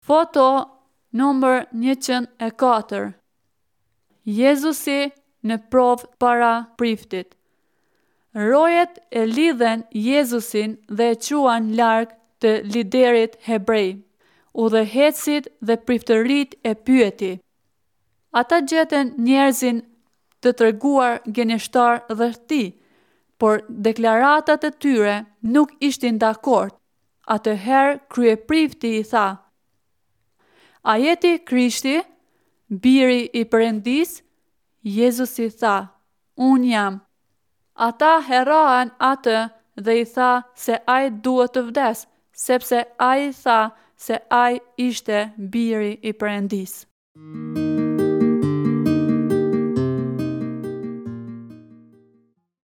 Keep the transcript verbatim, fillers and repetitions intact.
Foto numër njëqind e katër. Jezusi në provë para priftit. Rojet e lidhën Jezusin dhe e çuan larg të liderit hebrej. Udhëheqësit dhe priftërit e pyeti. Ata gjetën njerëzin të treguar gënjeshtar rreth tij, por deklaratat e tyre nuk ishin dakord. Atëherë kryeprifti i tha: A je ti Krishti, biri i Perëndisë? Jezusi tha: Unë jam. Ata e rrahën atë dhe i tha se ai duhet të vdesë, sepse ai tha se ai ishte biri i Perëndisë.